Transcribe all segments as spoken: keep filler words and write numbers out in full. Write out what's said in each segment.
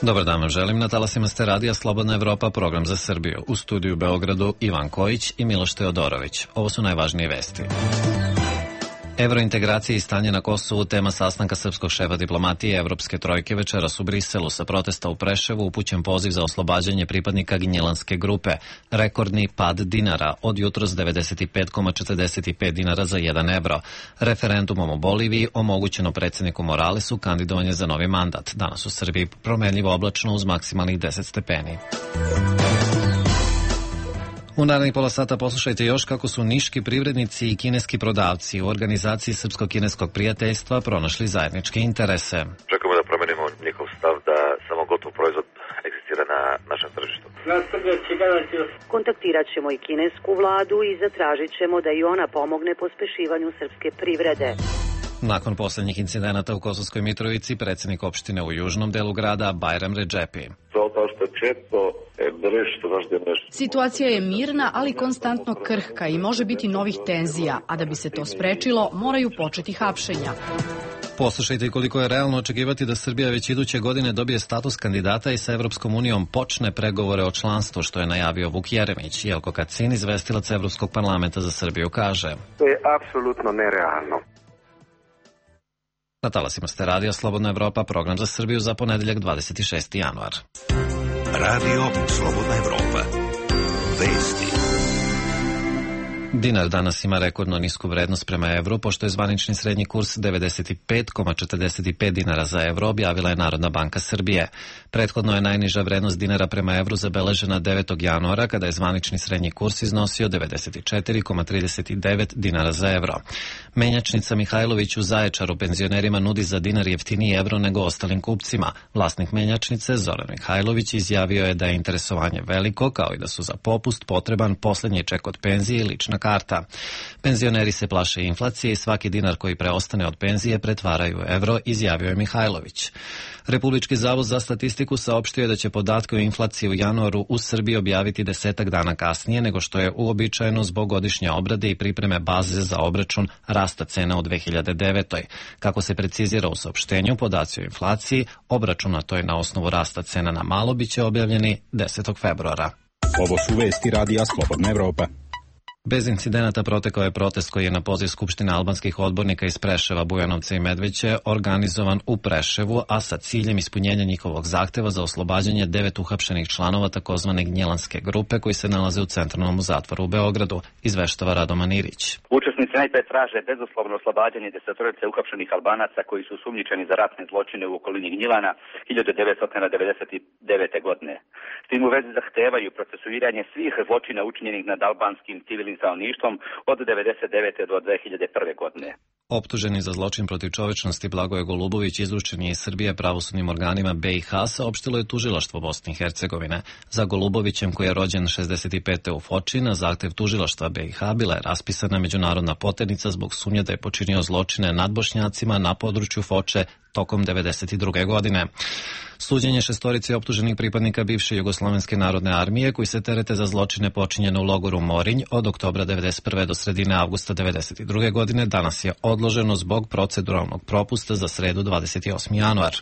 Dobar dan vam želim, na talasima ste radija Slobodna Evropa, program za Srbiju. U studiju u Beogradu Ivan Kojić i Miloš Teodorović. Ovo su najvažnije vesti. Evrointegracije i stanje na Kosovu, tema sastanka srpskog šefa diplomatije Evropske trojke večeras u Briselu. Sa protesta u Preševu upućen poziv za oslobađanje pripadnika Gnjilanske grupe. Rekordni pad dinara, od jutros devedeset pet zarez četrdeset pet dinara za jedan evro. Referendumom u Boliviji omogućeno predsjedniku Moralesu kandidovanje za novi mandat. Danas u Srbiji promenljivo oblačno uz maksimalnih deset stepeni. U narednih pola sata poslušajte još kako su niški privrednici i kineski prodavci u organizaciji Srpsko-kineskog prijateljstva pronašli zajedničke interese. Čekamo da promenimo njihov stav da samo gotov proizvod egzistira na našem tržištu. Kontaktirat ćemo i kinesku vladu i zatražit ćemo da i ona pomogne pospešivanju srpske privrede. Nakon posljednjih incidenata u Kosovskoj Mitrovici, predsjednik opštine u južnom delu grada Bajram Redžepi. Situacija je mirna, ali konstantno krhka i može biti novih tenzija, a da bi se to sprečilo, moraju početi hapšenja. Poslušajte koliko je realno očekivati da Srbija već iduće godine dobije status kandidata i sa Evropskom unijom počne pregovore o članstvu, što je najavio Vuk Jeremić. Jelko Kacin, izvestilac Evropskog parlamenta za Srbiju, kaže: To je apsolutno nerealno. Na talasima ste radija Slobodna Evropa, program za Srbiju za ponedeljak dvadeset šesti januar. Radio Slobodna Evropa. Vesti. Dinar danas ima rekordno nisku vrednost prema evru, pošto je zvanični srednji kurs devedeset pet zarez četrdeset pet dinara za evro, objavila je Narodna banka Srbije. Prethodno je najniža vrednost dinara prema evru zabeležena devetog januara, kada je zvanični srednji kurs iznosio devedeset četiri zarez trideset devet dinara za evro. Menjačnica Mihajlović u Zaječaru penzionerima nudi za dinar jeftiniji evro nego ostalim kupcima. Vlasnik menjačnice, Zoran Mihajlović, izjavio je da je interesovanje veliko, kao i da su za popust potreban posljednji ček od penzije i lična karta. Penzioneri se plaše inflacije i svaki dinar koji preostane od penzije pretvaraju u evro, izjavio je Mihajlović. Republički zavod za statistiku saopštio je da će podatke o inflaciji u januaru u Srbiji objaviti desetak dana kasnije nego što je uobičajeno zbog godišnje obrade i pripreme baze za obračun rasta cena u dve hiljade devetoj. Kako se precizira u saopštenju, podaci o inflaciji obračunatoj na osnovu rasta cena na malo biće objavljeni desetog februara. Ovo su vesti radija Slobodna Evropa. Bez incidenata protekao je protest koji je na poziv Skupštine albanskih odbornika iz Preševa, Bujanovca i Medveće organizovan u Preševu, a sa ciljem ispunjenja njihovog zahteva za oslobađanje devet uhapšenih članova takozvane Gnjilanske grupe koji se nalaze u centralnom zatvoru u Beogradu, izveštava Radoman Irić. Učesnici najpre traže bezuslovno oslobađanje desetorice uhapšenih Albanaca koji su sumnjičeni za ratne zločine u okolini Gnjilana hiljadu devetsto devedeset devete. godine. S tim u vezi zahtevaju procesuiranje svih zločina učinjenih nad albanskim civilnim stanovništvom od devedeset devete do dve hiljade prve. godine. Optuženi za zločin protiv čovečnosti Blagoje Golubović izručen je iz Srbije pravosudnim organima be i ha, saopštilo je tužilaštvo Bosne i Hercegovine. Za Golubovićem, koji je rođen šezdeset pete u Foči, na zahtev tužilaštva be i ha bila je raspisana međunarodna poternica zbog sumnje da je počinio zločine nad Bošnjacima na području Foče tokom devedeset druge. godine. Suđenje šestorici optuženih pripadnika bivše Jugoslovenske narodne armije koji se terete za zločine počinjene u logoru Morinj od oktobra devedeset prve do sredine avgusta devedeset druge. godine danas je odloženo zbog proceduralnog propusta za sredu dvadeset osmi januar.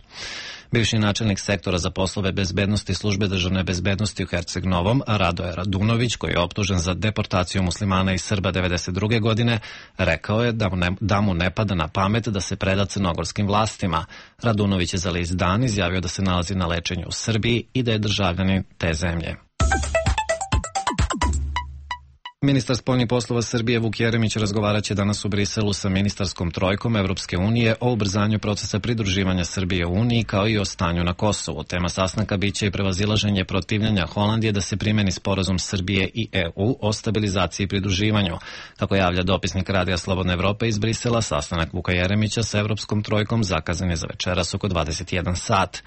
Bivši načelnik sektora za poslove bezbednosti službe državne bezbednosti u Herceg Novom, Radoje Radunović, koji je optužen za deportaciju muslimana i Srba devedeset druge. godine, rekao je da mu, ne, da mu ne pada na pamet da se preda crnogorskim vlastima. Radunović je za list Dan izjavio da se nalazi na lečenju u Srbiji i da je državljanin te zemlje. Ministar spoljnih poslova Srbije Vuk Jeremić razgovarat će danas u Briselu sa ministarskom trojkom Evropske unije o ubrzanju procesa pridruživanja Srbije u Uniji kao i o stanju na Kosovu. Tema sastanka biće i prevazilaženje protivljenja Holandije da se primeni sporazum Srbije i e u o stabilizaciji i pridruživanju. Kako javlja dopisnik Radija Slobodna Evropa iz Brisela, sastanak Vuka Jeremića sa Evropskom trojkom zakazan je za večeras oko dvadeset jedan sat.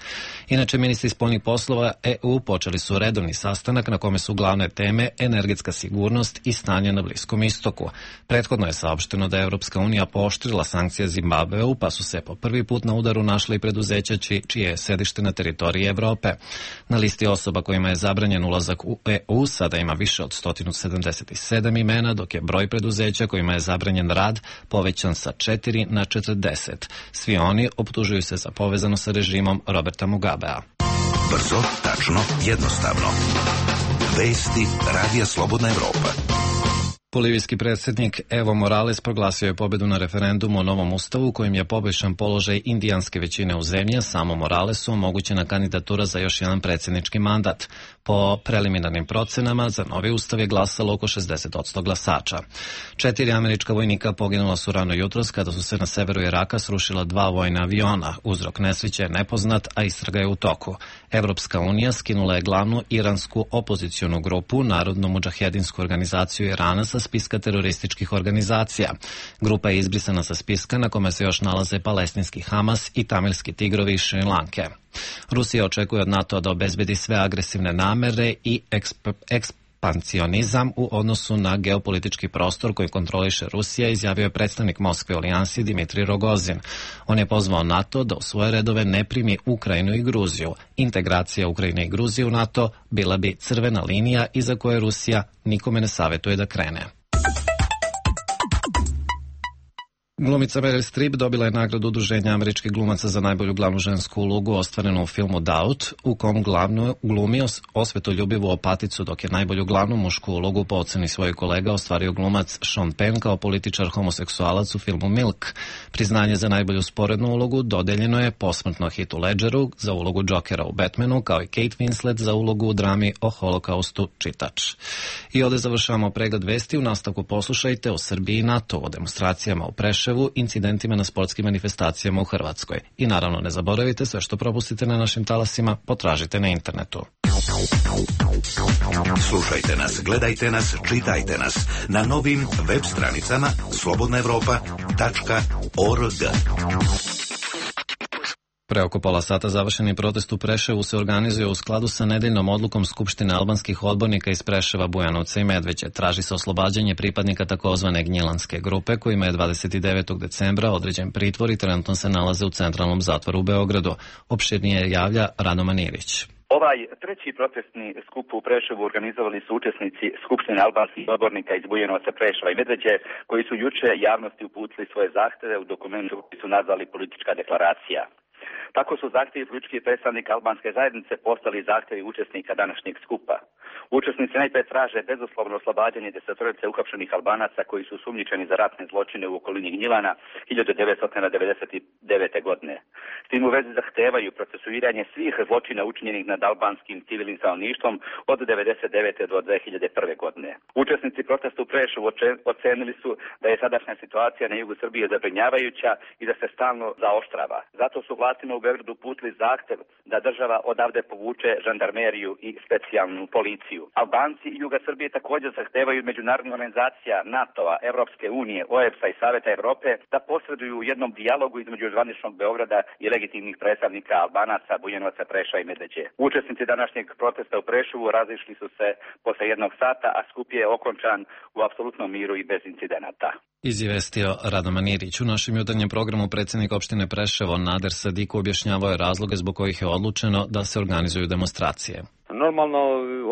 Inače, ministri spoljnih poslova e u počeli su redovni sastanak na kome su glavne teme energetska sigurnost i stanje na Bliskom istoku. Prethodno je saopšteno da je Evropska unija pooštrila sankcije Zimbabveu, pa su se po prvi put na udaru našli preduzeća či, čije je sedište na teritoriji Evrope. Na listi osoba kojima je zabranjen ulazak u e u sada ima više od sto sedamdeset sedam imena, dok je broj preduzeća kojima je zabranjen rad povećan sa četiri na četrdeset. Svi oni optužuju se za povezano sa režimom Roberta Mugabea. Brzo, tačno, jednostavno. Vesti Radija Slobodna Evropa. Bolivijski predsjednik Evo Morales proglasio je pobjedu na referendumu o novom ustavu kojim je poboljšan položaj indijanske većine u zemlji, samo Moralesu omogućena kandidatura za još jedan predsjednički mandat. Po preliminarnim procenama za novi ustav je glasalo oko šezdeset posto glasača. Četiri američka vojnika poginula su rano jutros kada su se na severu Iraka srušila dva vojna aviona. Uzrok nesreće je nepoznat, a istraga je u toku. Evropska unija skinula je glavnu iransku opozicionu grupu, Narodnu mudžahedinsku organizaciju Irana, sa spiska terorističkih organizacija. Grupa je izbrisana sa spiska na kome se još nalaze palestinski Hamas i tamilski tigrovi iz Šri Lanke. Rusija očekuje od NATO da obezbedi sve agresivne namere i eksp ekspansionizam u odnosu na geopolitički prostor koji kontroliše Rusija, izjavio je predstavnik Moskve u alijansi Dimitrij Rogozin. On je pozvao NATO da u svoje redove ne primi Ukrajinu i Gruziju. Integracija Ukrajine i Gruzije u NATO bila bi crvena linija iza koje Rusija nikome ne savjetuje da krene. Glumica Meryl Streep dobila je nagradu Udruženja američkih glumaca za najbolju glavnu žensku ulogu ostvarenu u filmu Doubt, u kom glavnu glumi osvetoljubivu opaticu, dok je najbolju glavnu mušku ulogu po oceni svojih kolega ostvario glumac Sean Penn kao političar homoseksualac u filmu Milk. Priznanje za najbolju sporednu ulogu dodeljeno je posmrtno Heathu Ledgeru za ulogu Jokera u Batmanu, kao i Kate Winslet za ulogu u drami o holokaustu Čitač. I ovdje završavamo pregled vesti. U nastavku poslušajte o Srbiji i NATO, o demonstracijama u Preševu, incidentima na sportskim manifestacijama u Hrvatskoj. I naravno ne zaboravite, sve što propustite na našim talasima potražite na internetu. Slušajte nas, gledajte nas, čitajte nas na novim web stranicama slobodna evropa tačka org. Pre oko pola sata završeni protest u Preševu se organizuje u skladu sa nedeljnom odlukom Skupštine albanskih odbornika iz Preševa, Bujanovca i Medveđe. Traži se oslobađanje pripadnika takozvane Gnjilanske grupe, kojima je dvadeset devetog decembra određen pritvor i trenutno se nalaze u centralnom zatvoru u Beogradu. Opširnije javlja Rano Manirić. Ovaj treći protestni skup u Preševu organizovali su učesnici Skupštine albanskih odbornika iz Bujanovca, Preševa i Medveđe, koji su juče javnosti uputili svoje zahteve u dokumentu koji su nazvali politička deklaracija. Tako su zahtjevi političkih predstavnika albanske zajednice postali zahtjevi učesnika današnjeg skupa. Učesnici najprije traže bezuslovno oslobađanje desetorice uhapšenih Albanaca koji su sumnjičeni za ratne zločine u okolini Gnjilana hiljadu devetsto devedeset devete. godine. S tim u vezi zahtevaju procesuiranje svih zločina učinjenih nad albanskim civilnim stanovništvom od devedeset devete do dve hiljade prve. godine. Učesnici protesta u Preševu ocenili su da je sadašnja situacija na jugu Srbije zabrinjavajuća i da se stalno zaoštrava. Zato su vlastima u Beogradu uputili zahtev da država odavde povuče žandarmeriju i specijalnu policiju. Albanci i juga Srbije također zahtevaju međunarodna organizacija NATO-a, Evropske unije, O E B S-a i Saveta Evrope da posreduju u jednom dijalogu između zvaničnog Beograda i legitimnih predstavnika Albanaca, Bujanovaca, Preševa i Medveđe. Učesnici današnjeg protesta u Preševu razišli su se posle jednog sata, a skup je okončan u apsolutnom miru i bez incidenata. Izvestio Rado Manirić. U našem jutarnjem programu predsjednik opštine Preševo Nader Sadiku objašnjavao je razloge zbog kojih je odlučeno da se organizuju demonstracije. Normalno,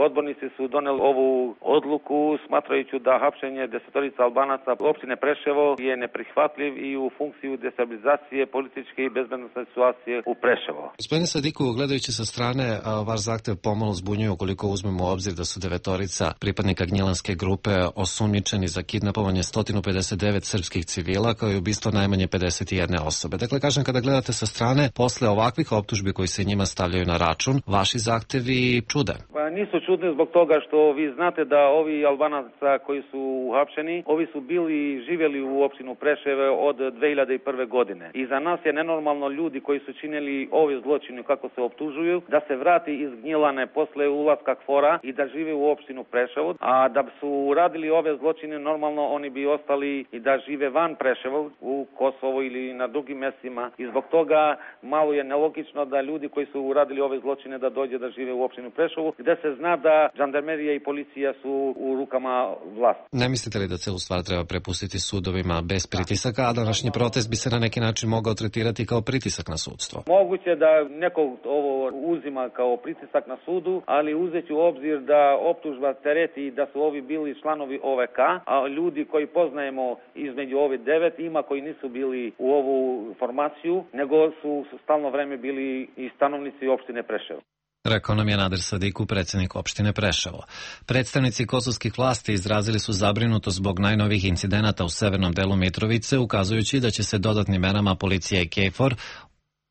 odbornici su doneli ovu odluku smatrajući da hapšenje desetorica Albanaca opštine Preševo je neprihvatljiv i u funkciju destabilizacije političke i bezbednosne situacije u Preševo. Gospodine Sadiku, gledajući sa strane, vaš zahtev pomalo zbunjuje ukoliko uzmemo u obzir da su devetorica pripadnika Gnjilanske grupe osumnjičeni za kidnapovanje sto pedeset devet srpskih civila, kao i ubistvo najmanje pedeset jedne osobe. Dakle, kažem, kada gledate sa strane, posle ovakvih optužbi koji se njima stavljaju na račun, vaši zahtevi čude. Pa nisu čudni zbog toga što vi znate da ovi Albanaca koji su uhapšeni, ovi su bili živjeli u opštinu Preševe od dve hiljade prve. godine. I za nas je nenormalno ljudi koji su činili ove zločine kako se optužuju, da se vrati iz Gnjilane posle ulaska KFOR-a i da žive u opštinu Preševo, a da su radili ove zločine normalno oni bi ostali i da žive van Preševa u Kosovo ili na drugim mestima. I zbog toga malo je nelogično da ljudi koji su uradili ove zločine da dođe da žive u opštinu Preševo, gde se zna da žandarmerija i policija su u rukama vlasti. Ne mislite li da celu stvar treba prepustiti sudovima bez pritisaka, a današnji protest bi se na neki način mogao tretirati kao pritisak na sudstvo? Moguće da neko ovo uzima kao pritisak na sudu, ali uzeći u obzir da optužba tereti da su ovi bili članovi O V K, a ljudi koji poznajemo između ovi devet ima koji nisu bili u ovu formaciju, nego su stalno vreme bili i stanovnici opštine Preševo. Rekao nam je Nader Sadiku, predsjednik opštine Preševo. Predstavnici kosovskih vlasti izrazili su zabrinutost zbog najnovih incidenata u severnom delu Mitrovice, ukazujući da će se dodatnim merama policija i KFOR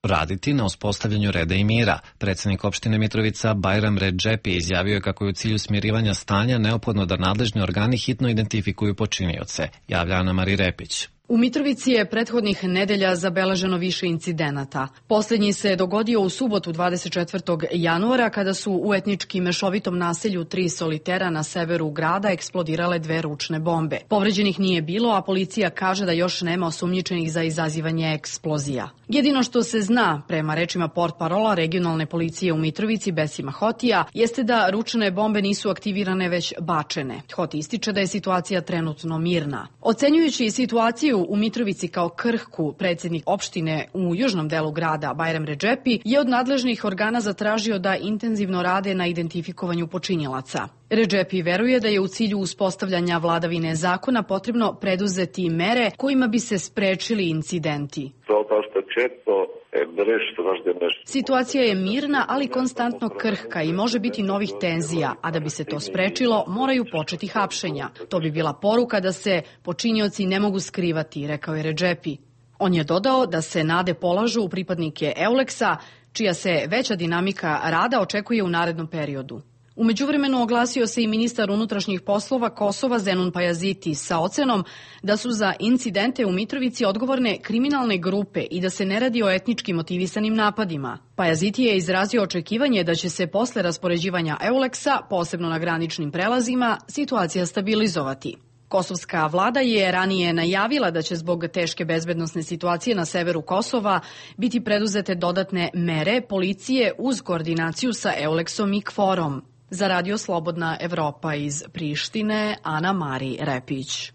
raditi na uspostavljanju reda i mira. Predsjednik opštine Mitrovica Bajram Redžepi izjavio je kako je u cilju smirivanja stanja neophodno da nadležni organi hitno identifikuju počinioce. Javlja Ana Mari Repić. U Mitrovici je prethodnih nedelja zabeleženo više incidenata. Posljednji se dogodio u subotu dvadeset četvrtog januara kada su u etnički mešovitom naselju Tri Solitera na severu grada eksplodirale dve ručne bombe. Povređenih nije bilo, a policija kaže da još nema osumnjičenih za izazivanje eksplozija. Jedino što se zna, prema rečima portparola regionalne policije u Mitrovici Besima Hotija, jeste da ručne bombe nisu aktivirane već bačene. Hoti ističe da je situacija trenutno mirna. Ocenjujući situaciju u Mitrovici kao krhku, predsjednik opštine u južnom delu grada Bajram Redžepi je od nadležnih organa zatražio da intenzivno rade na identifikovanju počinjelaca. Redžepi veruje da je u cilju uspostavljanja vladavine zakona potrebno preduzeti mere kojima bi se sprečili incidenti. Situacija je mirna, ali konstantno krhka i može biti novih tenzija, a da bi se to sprečilo, moraju početi hapšenja. To bi bila poruka da se počinioci ne mogu skrivati, rekao je Redžepi. On je dodao da se nade polažu u pripadnike Euleksa, čija se veća dinamika rada očekuje u narednom periodu. U međuvremenu oglasio se i ministar unutrašnjih poslova Kosova Zenun Pajaziti sa ocenom da su za incidente u Mitrovici odgovorne kriminalne grupe i da se ne radi o etnički motivisanim napadima. Pajaziti je izrazio očekivanje da će se posle raspoređivanja Euleksa, posebno na graničnim prelazima, situacija stabilizovati. Kosovska vlada je ranije najavila da će zbog teške bezbednosne situacije na severu Kosova biti preduzete dodatne mere policije uz koordinaciju sa Euleksom i KFOR-om. Za Radio Slobodna Evropa iz Prištine, Ana Mari Repić.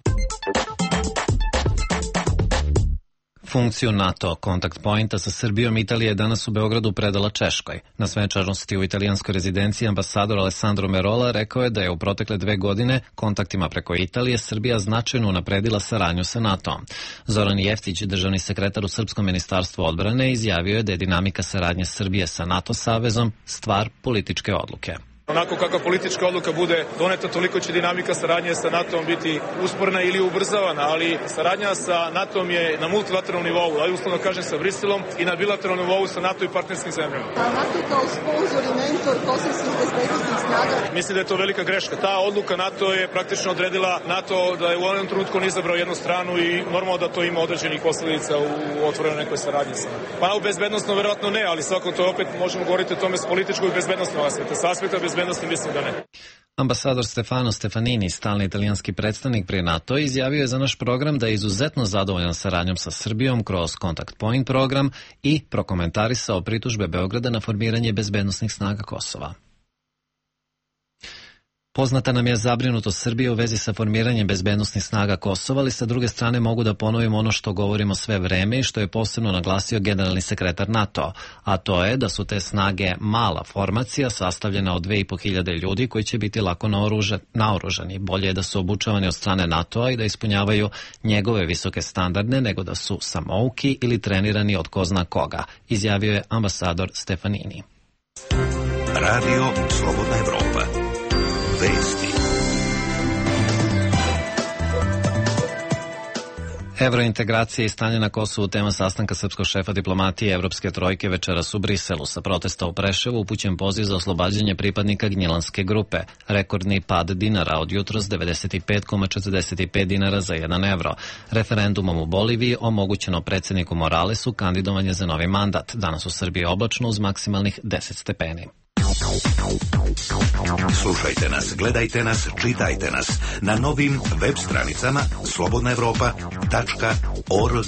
Funkciju NATO kontakt pointa sa Srbijom Italija je danas u Beogradu predala Češkoj. Na svečanosti u italijanskoj rezidenciji ambasador Alessandro Merola rekao je da je u protekle dve godine kontaktima preko Italije Srbija značajno unapredila saradnju sa NATO-om. Zoran Jeftić, državni sekretar u Srpskom ministarstvu odbrane, izjavio je da je dinamika saradnje Srbije sa NATO savezom stvar političke odluke. Onako kakva politička odluka bude doneta, toliko će dinamika saradnje sa NATO-om biti usporna ili ubrzavana, ali saradnja sa NATO-om je na multilateralnom nivou, ali uslovno kažem sa Briselom i na bilateralnom nivou sa NATO i partnerskim zemljama. NATO kao sponzor i mentor kosovskih bezbednosnih snaga. Mislim da je to velika greška. Ta odluka NATO je praktično odredila NATO da je u onom trenutku on izabrao jednu stranu i normalno da to ima određenih posledica u otvorenoj nekoj saradnji sa NATO. Pa u bezbednostno verovatno ne, ali svako to opet možemo govoriti o tome s političkog i bezbednostnog aspekta. Sa aspekta bezbednosti mislim da ne. Ambasador Stefano Stefanini, stalni italijanski predstavnik pri NATO, izjavio je za naš program da je izuzetno zadovoljan saradnjom sa Srbijom kroz Contact Point program i prokomentarisao pritužbe Beograda na formiranje bezbednosnih snaga Kosova. Poznata nam je zabrinutost Srbije u vezi sa formiranjem bezbednosnih snaga Kosova, ali sa druge strane mogu da ponovim ono što govorimo sve vreme i što je posebno naglasio generalni sekretar NATO, a to je da su te snage mala formacija sastavljena od dve i po hiljade ljudi koji će biti lako naoružani. Bolje je da su obučavani od strane NATO-a i da ispunjavaju njegove visoke standarde nego da su samouki ili trenirani od ko zna koga, izjavio je ambasador Stefanini. Radio Slobodna Evropa. Vesti. Evrointegracija i stanje na Kosovu tema sastanka srpskog šefa diplomatije Evropske trojke večeras u Briselu. Sa protesta u Preševu upućen poziv za oslobađanje pripadnika Gnjilanske grupe. Rekordni pad dinara od jutros devedeset pet zarez četrdeset pet dinara za jedan evro. Referendumom u Boliviji omogućeno predsjedniku Moralesu kandidovanje za novi mandat. Danas u Srbiji oblačno uz maksimalnih deset stepeni. Slušajte nas, gledajte nas, čitajte nas na novim web stranicama slobodna evropa tačka org.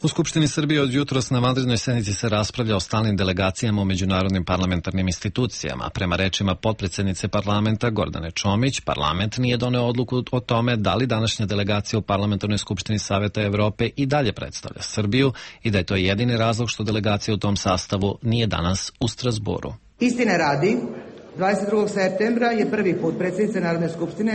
U Skupštini Srbije od jutros na vanrednoj sednici se raspravlja o stalnim delegacijama u međunarodnim parlamentarnim institucijama. Prema rečima potpredsjednice parlamenta Gordane Čomić, parlament nije doneo odluku o tome da li današnja delegacija u Parlamentarnoj skupštini Saveta Evrope i dalje predstavlja Srbiju i da je to jedini razlog što delegacija u tom sastavu nije danas u Strazburu. Istine radi, dvadeset drugog septembra je prvi put predsjednica Narodne skupštine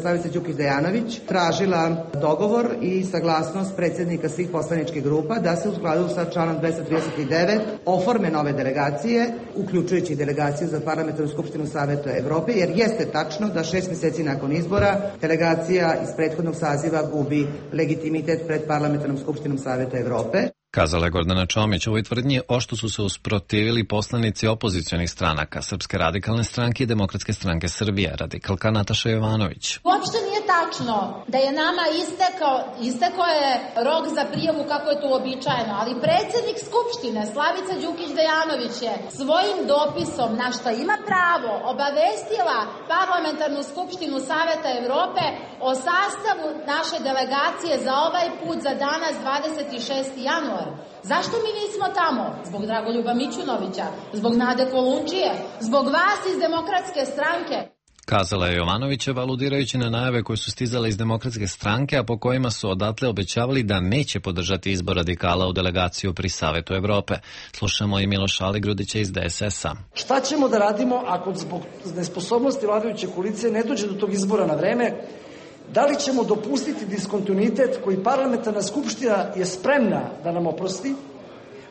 Slavica Đukić Dejanović tražila dogovor i saglasnost predsjednika svih poslaničkih grupa da se u skladu sa članom dvesta trideset devet oforme nove delegacije, uključujući delegaciju za Parlamentarnu skupštinu Saveta Evrope, jer jeste tačno da šest mjeseci nakon izbora delegacija iz prethodnog saziva gubi legitimitet pred Parlamentarnom skupštinom Saveta Evrope. Kazala je Gordana Čomić. Ovoj tvrdnji ošto su se usprotivili poslanici opozicionih stranaka, Srpske radikalne stranke i Demokratske stranke Srbije, radikalka Nataša Jovanović. Uopšte nije tačno da je nama istekao, istekao je rok za prijavu kako je to uobičajeno, ali predsjednik Skupštine Slavica Đukić Dejanović je svojim dopisom, na što ima pravo, obavestila Parlamentarnu skupštinu Saveta Evrope o sastavu naše delegacije za ovaj put za danas dvadeset šesti januar. Zašto mi nismo tamo? Zbog Dragoljuba Mićunovića, zbog Nade Kolundžije, zbog vas iz Demokratske stranke. Kazala je Jovanovićeva, aludirajući na najave koje su stizale iz Demokratske stranke, a po kojima su odatle obećavali da neće podržati izbor radikala u delegaciju pri Savetu Evrope. Slušamo i Miloša Aligrudića iz D S S-a. Šta ćemo da radimo ako zbog nesposobnosti vladajuće koalicije ne dođe do tog izbora na vreme? Da li ćemo dopustiti diskontinuitet koji Parlamentarna skupština je spremna da nam oprosti?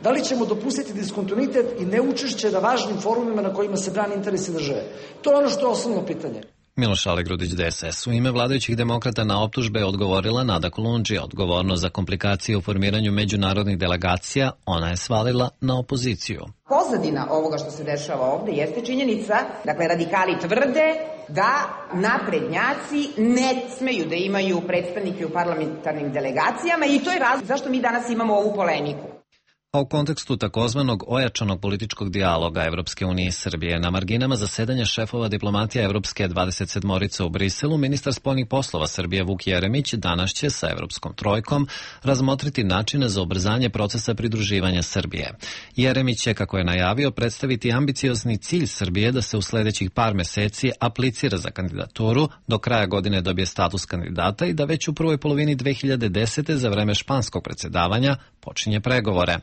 Da li ćemo dopustiti diskontinuitet i neučešće na važnim forumima na kojima se brani interesi države? To je ono što je osnovno pitanje. Miloš Aligrudić, D S S. U ime vladajućih demokrata na optužbe je odgovorila Nada Kolundžija. Odgovornost za komplikacije u formiranju međunarodnih delegacija ona je svalila na opoziciju. Pozadina ovoga što se dešava ovde jeste činjenica, dakle radikali tvrde da naprednjaci ne smeju da imaju predstavnike u parlamentarnim delegacijama i to je razlog zašto mi danas imamo ovu polemiku. A u kontekstu takozvanog ojačanog političkog dijaloga Evropske unije i Srbije na marginama zasedanja šefova diplomatija Evropske dvadeset sedmorice u Briselu, ministar spoljnih poslova Srbije Vuk Jeremić danas će sa Evropskom trojkom razmotriti načine za ubrzanje procesa pridruživanja Srbije. Jeremić će, kako je najavio, predstaviti ambiciozni cilj Srbije da se u sledećih par meseci aplicira za kandidaturu, do kraja godine dobije status kandidata i da već u prvoj polovini dve hiljade desete za vreme španskog predsjedavanja počinje pregovore.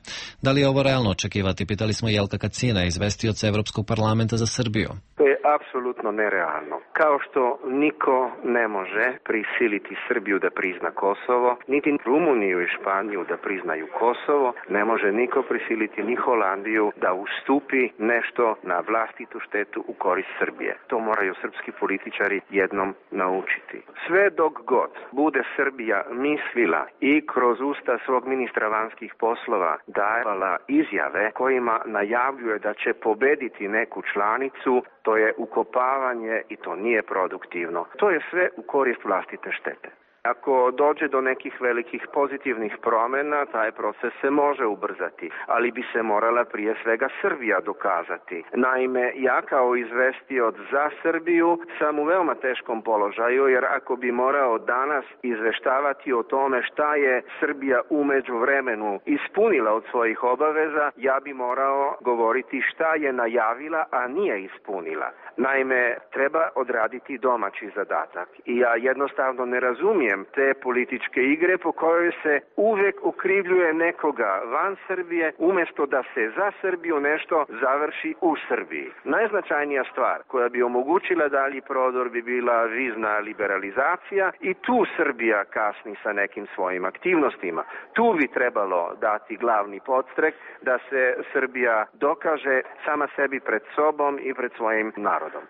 Da li je ovo realno očekivati, pitali smo Jelka Kacina, izvestioca Evropskog parlamenta za Srbiju. To je apsolutno nerealno. Kao što niko ne može prisiliti Srbiju da prizna Kosovo, niti Rumuniju i Španiju da priznaju Kosovo, ne može niko prisiliti ni Holandiju da ustupi nešto na vlastitu štetu u korist Srbije. To moraju srpski političari jednom naučiti. Sve dok god bude Srbija mislila i kroz usta svog ministra vanjskih poslova davala izjave kojima najavljuje da će pobediti neku članicu, to je ukopavanje i to nije produktivno. To je sve u korist vlastite štete. Ako dođe do nekih velikih pozitivnih promjena, taj proces se može ubrzati, ali bi se morala prije svega Srbija dokazati. Naime, ja kao izvestioc za Srbiju sam u veoma teškom položaju, jer ako bi morao danas izveštavati o tome šta je Srbija u međuvremenu ispunila od svojih obaveza, ja bi morao govoriti šta je najavila, a nije ispunila. Naime, treba odraditi domaći zadatak i ja jednostavno ne razumijem te političke igre po kojoj se uvek okrivljuje nekoga van Srbije umjesto da se za Srbiju nešto završi u Srbiji. Najznačajnija stvar koja bi omogućila dalji prodor bi bila vizna liberalizacija i tu Srbija kasni sa nekim svojim aktivnostima. Tu bi trebalo dati glavni podstrek da se Srbija dokaže sama sebi pred sobom i pred svojim narodom.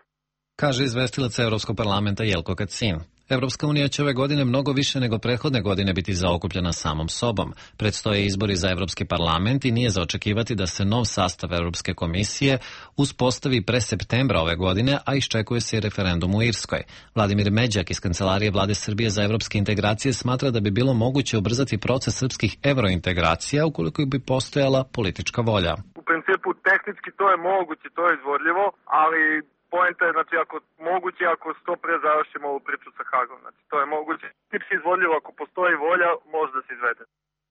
Kaže izvestilac Evropskog parlamenta Jelko Kacin. Evropska unija će ove godine mnogo više nego prethodne godine biti zaokupljena samom sobom. Predstoje izbori za Evropski parlament i nije za očekivati da se nov sastav Evropske komisije uspostavi pre septembra ove godine, a iščekuje se i referendum u Irskoj. Vladimir Međak iz Kancelarije Vlade Srbije za evropske integracije smatra da bi bilo moguće ubrzati proces srpskih evrointegracija ukoliko bi postojala politička volja. U principu tehnički to je moguće, to je izvodljivo, ali poenta je, znači, ako moguće, ako što pre završimo ovu priču sa Hagom. Znači, to je moguće. Tipski izvodljivo, ako postoji volja, može da se izvede.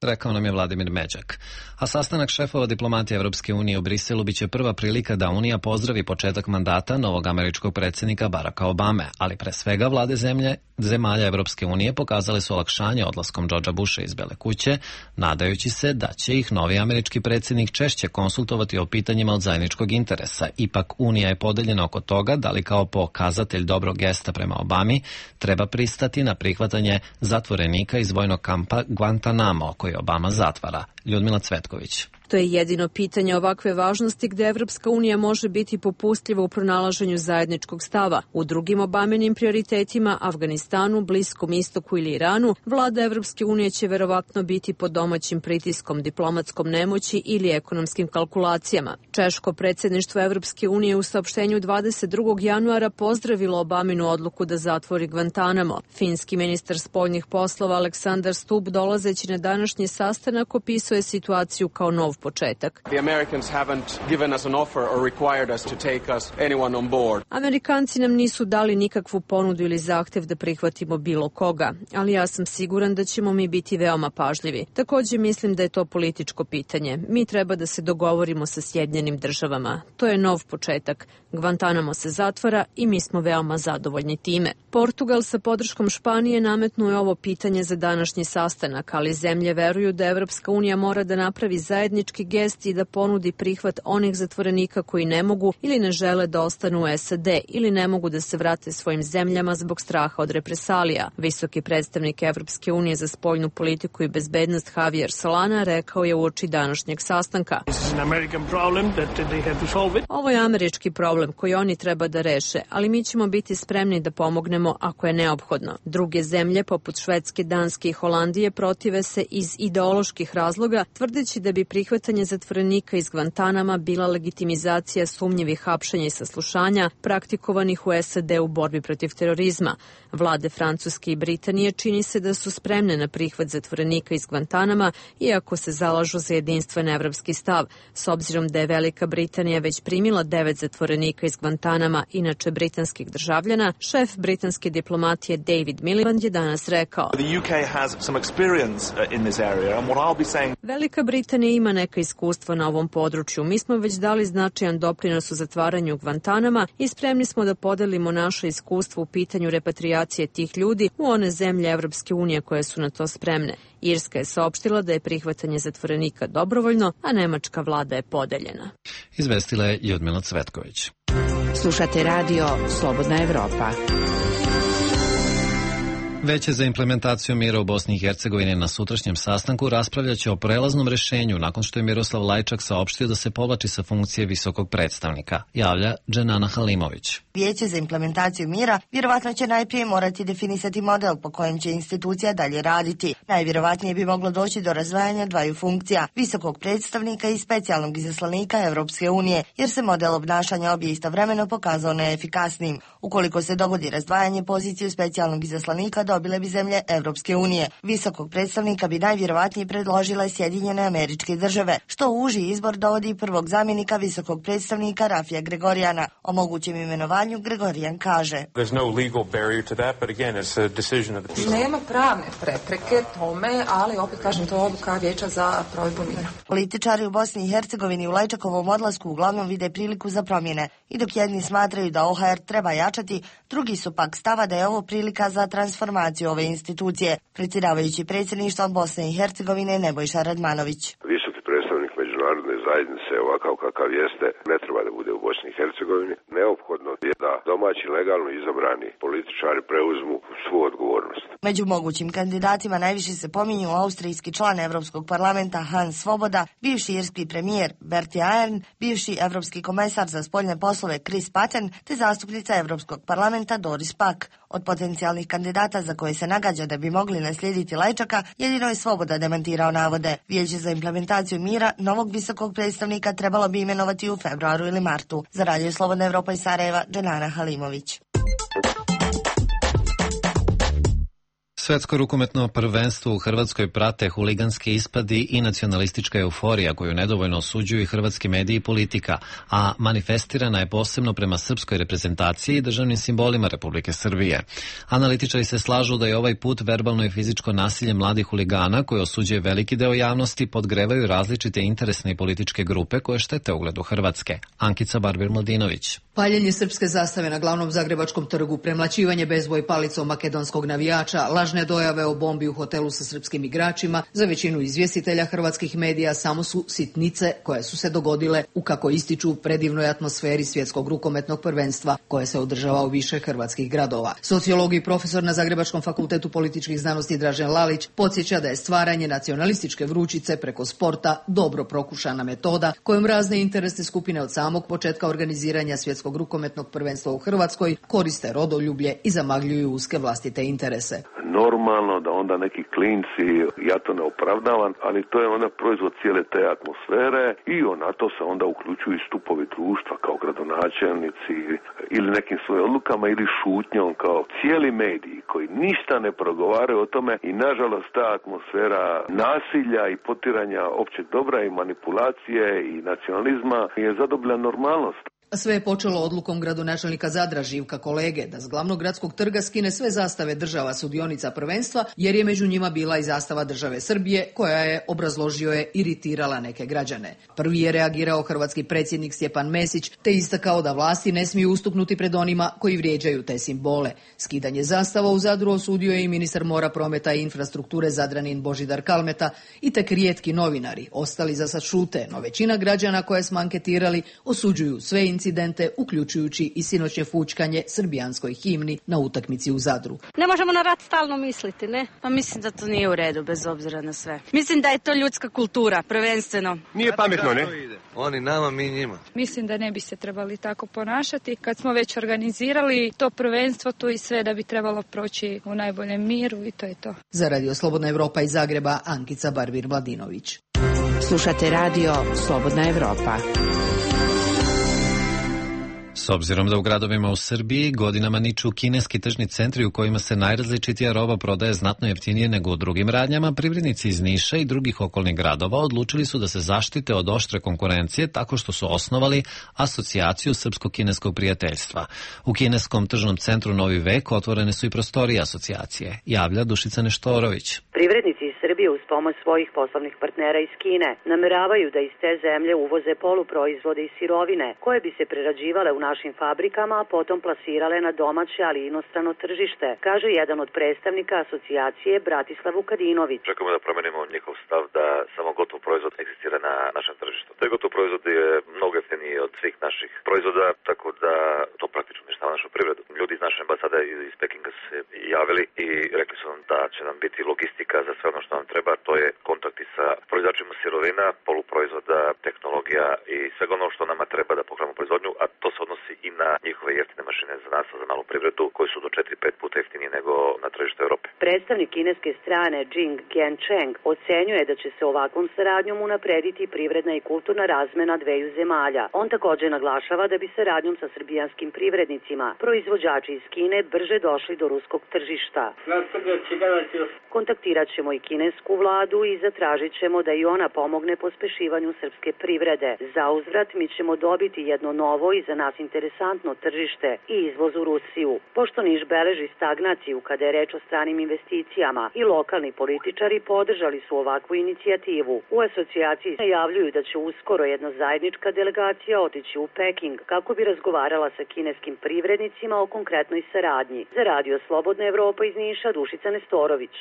Rekao nam je Vladimir Međak. A sastanak šefova diplomatije Evropske unije u Briselu biće prva prilika da Unija pozdravi početak mandata novog američkog predsjednika Baracka Obame, ali pre svega vlade zemlje, zemalja Evropske unije pokazale su olakšanje odlaskom Georgea Busha iz Bele kuće, nadajući se da će ih novi američki predsjednik češće konsultovati o pitanjima od zajedničkog interesa. Ipak Unija je podeljena oko toga da li kao pokazatelj dobrog gesta prema Obami treba pristati na prihvatanje zatvorenika iz vojnog kampa Guantanamo, koji Obama zatvara. Ljudmila Cvetković. To je jedino pitanje ovakve važnosti gde Evropska unija može biti popustljiva u pronalaženju zajedničkog stava. U drugim Obamenim prioritetima, Afganistanu, Bliskom istoku ili Iranu, vlada Evropske unije će verovatno biti pod domaćim pritiskom, diplomatskom nemoći ili ekonomskim kalkulacijama. Češko predsjedništvo Evropske unije u saopštenju dvadeset drugog januara pozdravilo Obaminu odluku da zatvori Guantanamo. Finski ministar spoljnih poslova Aleksandar Stubb, dolazeći na današnji sastanak, opisuje situaciju kao nov početak. Amerikanci nam nisu dali nikakvu ponudu ili zahtev da prihvatimo bilo koga, ali ja sam siguran da ćemo mi biti veoma pažljivi. Također mislim da je to političko pitanje. Mi treba da se dogovorimo sa Sjedinjenim državama. To je nov početak. Guantanamo se zatvara i mi smo veoma zadovoljni time. Portugal sa podrškom Španije nametnuo je ovo pitanje za današnji sastanak, ali zemlje veruju da Evropska unija mora da napravi zajednički gest i da ponudi prihvat onih zatvorenika koji ne mogu ili ne žele da ostanu u S A D ili ne mogu da se vrate svojim zemljama zbog straha od represalija. Visoki predstavnik Evropske unije za spoljnu politiku i bezbednost Javier Solana rekao je uoči današnjeg sastanka. Ovo je američki problem koji oni treba da reše, ali mi ćemo biti spremni da pomognemo ako je neophodno. Druge zemlje, poput Švedske, Danske i Holandije, protive se iz ideoloških razloga, tvrdeći da bi prihvatanje zatvorenika iz Guantanama bila legitimizacija sumnjivih hapšenja i saslušanja praktikovanih u S A D u borbi protiv terorizma. Vlade Francuske i Britanije čini se da su spremne na prihvat zatvorenika iz Guantanama, iako se zalažu za jedinstven evropski stav. S obzirom da je Velika Britanija već primila devet zatvorenika iz Guantanama, inače britanskih državljana, šef britanske diplomatije David Miliband je danas rekao: Velika Britanija ima neka iskustva na ovom području. Mi smo već dali značajan doprinos u zatvaranju Guantanama i spremni smo da podelimo naše iskustvo u pitanju repatriacije tih ljudi u one zemlje Evropske unije koje su na to spremne. Irska je saopštila da je prihvatanje zatvorenika dobrovoljno, a nemačka vlada je podeljena. Izvestila je Ljudmila Cvetković. Slušate radio Slobodna Evropa. Veće za implementaciju mira u Bosni i Hercegovini na sutrašnjem sastanku raspravljaće o prelaznom rešenju nakon što je Miroslav Lajčak saopštio da se povlači sa funkcije visokog predstavnika, javlja Dženana Halimović. Vijeće za implementaciju mira vjerovatno će najprije morati definisati model po kojem će institucija dalje raditi. Najvjerovatnije bi moglo doći do razdvajanja dvaju funkcija, visokog predstavnika i specijalnog izaslanika Evropske unije, jer se model obnašanja obje istovremeno pokazao neefikasnim. Ukoliko se dogodi razdvajanje, poziciju specijalnog izaslanika dobile bi zemlje Evropske unije. Visokog predstavnika bi najvjerovatnije predložile Sjedinjene Američke Države, što u uži izbor dovodi prvog zamjenika visokog predstavnika Rafija Gregorijana. O mogućem imenovanju Gregorijan kaže: Nema pravne prepreke tome, ali opet kažem, to je odluka Vijeća za provedbu mira. Političari u Bosni i Hercegovini u Lajčakovom odlasku uglavnom vide priliku za promjene. I dok jedni smatraju da O H R treba jačati, drugi su pak stava da je ovo prilika za transformaciju ove institucije. Predsjedavajući predsjedništvom Bosne i Hercegovine Nebojša Radmanović. Visoki predstavnik međunarodne zajednice, ovakav kakav jeste, ne treba da bude u Bosni i Hercegovini. Neophodno je da domaći legalno izabrani političari preuzmu svu odgovornost. Među mogućim kandidatima najviše se pominju austrijski član Evropskog parlamenta Hans Svoboda, bivši irski premijer Bertie Ahern, bivši evropski komesar za spoljne poslove Chris Patten te zastupnica Evropskog parlamenta Doris Pack. Od potencijalnih kandidata za koje se nagađa da bi mogli naslijediti Lajčaka, jedino je Svoboda demantirao navode. Vijeće za implementaciju mira novog visokog predstavnika trebalo bi imenovati u februaru ili martu. Za Radio Slobodna Evropa iz Sarajeva, Dženana Halimović. Svetsko rukometno prvenstvo u Hrvatskoj prate huliganski ispadi i nacionalistička euforija koju nedovoljno osuđuju i hrvatski mediji i politika, a manifestirana je posebno prema srpskoj reprezentaciji i državnim simbolima Republike Srbije. Analitičari se slažu da je ovaj put verbalno i fizičko nasilje mladih huligana koje osuđuje veliki deo javnosti podgrevaju različite interesne i političke grupe koje štete ugledu Hrvatske. Ankica Barbir-Mladinović. Paljenje srpske zastave na glavnom zagrebačkom trgu, premlaćivanje bezboj palicom makedonskog navijača, lažne dojave o bombi u hotelu sa srpskim igračima, za većinu izvjestitelja hrvatskih medija samo su sitnice koje su se dogodile u, kako ističu, predivnoj atmosferi svjetskog rukometnog prvenstva koje se održava u više hrvatskih gradova. Sociolog i profesor na Zagrebačkom fakultetu političkih znanosti Dražen Lalić podsjeća da je stvaranje nacionalističke vrućice preko sporta dobro prokušana metoda kojom razne interesne skupine od samog početka organiziranja svjetskog rukometnog prvenstva u Hrvatskoj koriste rodoljublje i zamagljuju uske vlastite interese. Normalno da onda neki klinci, ja to ne opravdavam, ali to je onda proizvod cijele te atmosfere i na to se onda uključuju i stupovi društva kao gradonačelnici ili nekim svojim odlukama ili šutnjom kao cijeli mediji koji ništa ne progovaraju o tome i nažalost ta atmosfera nasilja i potiranja općeg dobra i manipulacije i nacionalizma je zadobila normalnost. Sve je počelo odlukom gradonačelnika Zadra Živka Kolege da s glavnog gradskog trga skine sve zastave država sudionica prvenstva jer je među njima bila i zastava države Srbije koja je, obrazložio je, iritirala neke građane. Prvi je reagirao hrvatski predsjednik Stjepan Mesić te istakao da vlasti ne smiju ustupnuti pred onima koji vrijeđaju te simbole. Skidanje zastava u Zadru osudio je i ministar mora, prometa i infrastrukture Zadranin Božidar Kalmeta i tek rijetki novinari. Ostali za sad šute, no većina građana koje smo anketirali osuđuju sve incidente, uključujući i sinoćnje fućkanje srbijanskoj himni na utakmici u Zadru. Ne možemo na rat stalno misliti, ne? Pa mislim da to nije u redu, bez obzira na sve. Mislim da je to ljudska kultura, prvenstveno. Nije pametno, ne? Oni nama, mi njima. Mislim da ne bi se trebali tako ponašati. Kad smo već organizirali to prvenstvo, tu i sve da bi trebalo proći u najboljem miru i to je to. Za Radio Slobodna Evropa iz Zagreba, Ankica Barbir-Mladinović. Slušate Radio Slobodna Evropa. S obzirom da u gradovima u Srbiji godinama niču kineski tržni centri u kojima se najrazličitija roba prodaje znatno jeftinije nego u drugim radnjama, privrednici iz Niša i drugih okolnih gradova odlučili su da se zaštite od oštre konkurencije tako što su osnovali asocijaciju Srpsko-kineskog prijateljstva. U kineskom tržnom centru Novi vek otvorene su i prostorije asocijacije, javlja Dušica Neštorović. Privrednici iz Srbije uz pomoć svojih poslovnih partnera iz Kine nameravaju da iz te zemlje uvoze poluproizvode i sirovine koje bi se prerađivale u našim fabrikama, a potom plasirale na domaće, ali i inostrano tržište, kaže jedan od predstavnika asocijacije Bratislav Vukadinović. Čekamo da promenimo njihov stav da samo gotov proizvod egzistira na našem tržištu. Taj gotov proizvod je mnogo jeftiniji od svih naših proizvoda, tako da to praktično uništava našu privredu. Ljudi iz naše ambasade iz Pekinga se javili i rekli su nam da će nam biti logistika za sve ono što nam treba, to je kontakti sa proizvođačima sirovina, poluproizvoda, tehnologija i svega ono što nama treba da pokrenemo proizvodnju, a to se odnosi i na njihove jeftine mašine za nas, za malu privredu, koji su do četiri pet puta jeftinije nego na tržištu Evrope. Predstavnik kineske strane Jing Gencheng ocenjuje da će se ovakvom saradnjom unaprediti privredna i kulturna razmena dveju zemalja. On također naglašava da bi saradnjom sa srbijanskim privrednicima proizvođači iz Kine brže došli do ruskog tržišta. Kontaktirat ćemo i kinesku vladu i zatražit ćemo da i ona pomogne pospešivanju srpske privrede. Za uzvrat mi ćemo dobiti jedno novo i za nas interesantno tržište i izvoz u Rusiju. Pošto Niš beleži stagnaciju kada je reč o stranim investicijama i lokalni političari podržali su ovakvu inicijativu. U asocijaciji najavljuju da će uskoro jedna zajednička delegacija otići u Peking kako bi razgovarala sa kineskim privrednicima o konkretnoj saradnji. Za Radio Slobodna Evropa iz Niša, Dušica Nestorović.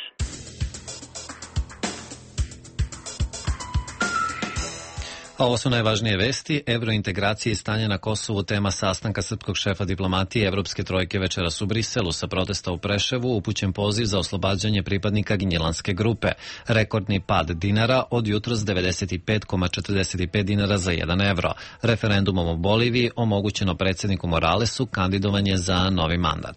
A ovo su najvažnije vesti. Evrointegracije i stanje na Kosovu tema sastanka srpskog šefa diplomatije Evropske trojke večeras u Briselu. Sa protesta u Preševu upućen poziv za oslobađanje pripadnika Gnjilanske grupe. Rekordni pad dinara od jutros devedeset pet zarez četrdeset pet dinara za jedan evro. Referendumom o Boliviji omogućeno predsjedniku Moralesu kandidovanje za novi mandat.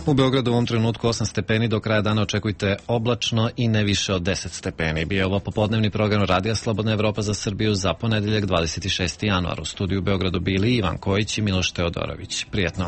U Beogradu u ovom trenutku osam stepeni, do kraja dana očekujte oblačno i ne više od deset stepeni. Bio je ovo popodnevni program Radija Slobodna Evropa za Srbiju za ponedeljak dvadeset šesti januar. U studiju u Beogradu bili Ivan Kojić i Miloš Teodorović. Prijetno.